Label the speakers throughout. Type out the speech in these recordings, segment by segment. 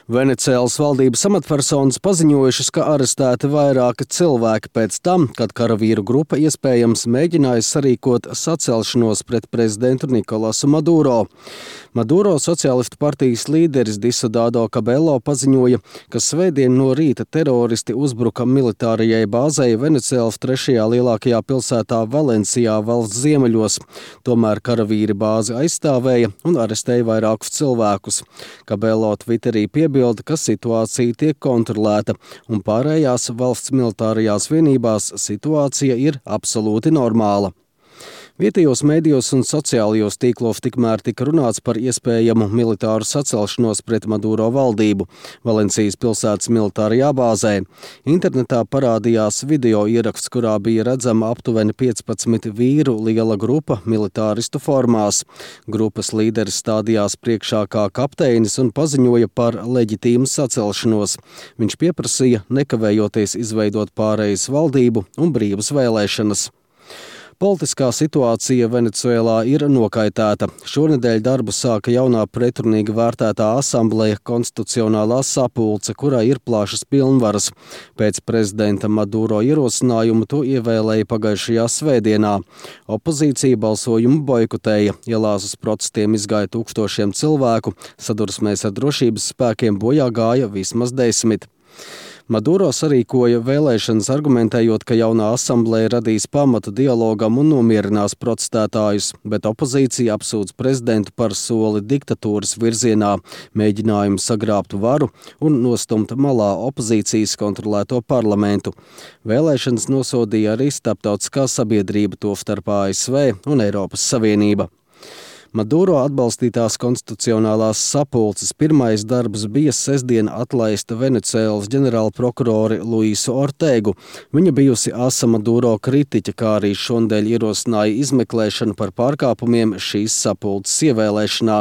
Speaker 1: Venecēlas valdības amatpersonas paziņojušas, ka arestēti vairāki cilvēki pēc tam, kad karavīru grupa iespējams mēģināja sarīkot sacelšanos pret prezidentu Nikolasu Maduro. Maduro sociālistu partijas līderis Diosdado Cabello paziņoja, ka svētdien no rīta teroristi uzbruka militārajai bāzei Venecēlas trešajā lielākajā pilsētā Valencijā valsts ziemeļos. Tomēr karavīri bāzi aizstāvēja un arestēja vairākus cilvēkus. Cabello Twitterī piebilda, ka situācija tiek kontrolēta un pārējās valsts militārajās vienībās situācija ir absolūti normāla. Vietējos mēdījos un sociālajos tīklos tikmēr tika runāts par iespējamu militāru sacelšanos pret Maduro valdību Valencijas pilsētas militārajā bāzē. Internetā parādījās video ieraksts, kurā bija redzama aptuveni 15 vīru liela grupa militāristu formās. Grupas līderis stādījās priekšā kā kapteinis un paziņoja par leģitīmu sacelšanos. Viņš pieprasīja nekavējoties izveidot pārejas valdību un brīvas vēlēšanas. Politiskā situācija Venecuēlā ir nokaitēta. Šonedēļ darbu sāka jaunā pretrunīgi vērtētā asambleja Konstitucionālā sapulce, kurā ir plašas pilnvaras. Pēc prezidenta Maduro ierosinājumu to ievēlēja pagājušajā svētdienā. Opozīcija balsojumu boikotēja, ielās uz protestiem izgāja tūkstošiem cilvēku, sadursmēs ar drošības spēkiem bojā gāja vismaz 10. Maduro sarīkoja vēlēšanas, argumentējot, ka jaunā asambleja radīs pamatu dialogam un nomierinās protestētājus, bet opozīcija apsūdz prezidentu par soli diktatūras virzienā, mēģinājumu sagrābt varu un nostumt malā opozīcijas kontrolēto parlamentu. Vēlēšanas nosodīja arī starptautiskā sabiedrība, tostarp ASV un Eiropas Savienība. Maduro atbalstītās konstitucionālās sapulces pirmais darbs bija sestdien atlaista Venecēlas ģenerālprokurori Luisu Ortegu. Viņa bijusi asa Maduro kritiķa, kā arī šonadēļ ierosināja izmeklēšanu par pārkāpumiem šīs sapulces ievēlēšanā.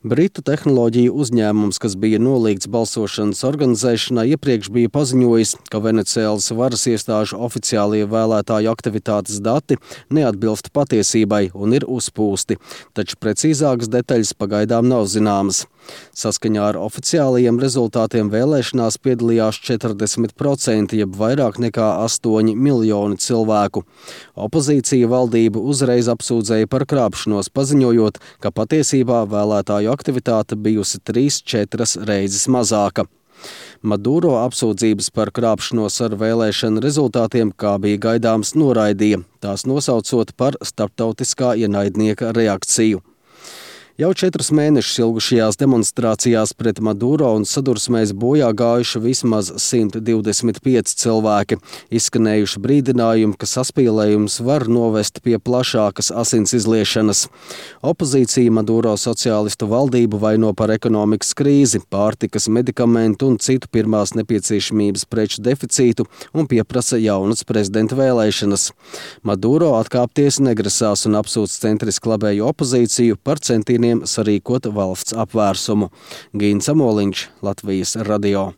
Speaker 1: Britu tehnoloģiju uzņēmums, kas bija nolīgts balsošanas organizēšanā, iepriekš bija paziņojis, ka Venecēlas varas iestāžu oficiālie vēlētāju aktivitātes dati neatbilst patiesībai un ir uzpūsti, taču precīzākas detaļas pagaidām nav zināmas. Saskaņā ar oficiālajiem rezultātiem vēlēšanās piedalījās 40%, jeb vairāk nekā 8 miljoni cilvēku. Opozīcija valdību uzreiz apsūdzēja par krāpšanos, paziņojot, ka patiesībā vēlētāju aktivitāte bijusi 3-4 reizes mazāka. Maduro apsūdzības par krāpšanos ar vēlēšanu rezultātiem, kā bija gaidāms, noraidīja, tās nosaucot par starptautiskā ienaidnieka reakciju. Jau 4 mēnešus ilgušajās demonstrācijās pret Maduro un sadursmēs bojā gājuši vismaz 125 cilvēki. Izskanējuši brīdinājumi, ka saspīlējums var novest pie plašākas asins izliešanas. Opozīcija Maduro sociālistu valdību vaino par ekonomikas krīzi, pārtikas, medikamentu un citu pirmās nepieciešamības preču deficītu un pieprasa jaunas prezidenta vēlēšanas. Maduro atkāpties negrasās un apsūdz centriski labējo opozīciju par centieniem sarīkot valsts apvērsumu. Gīns Amoliņš, Latvijas radio.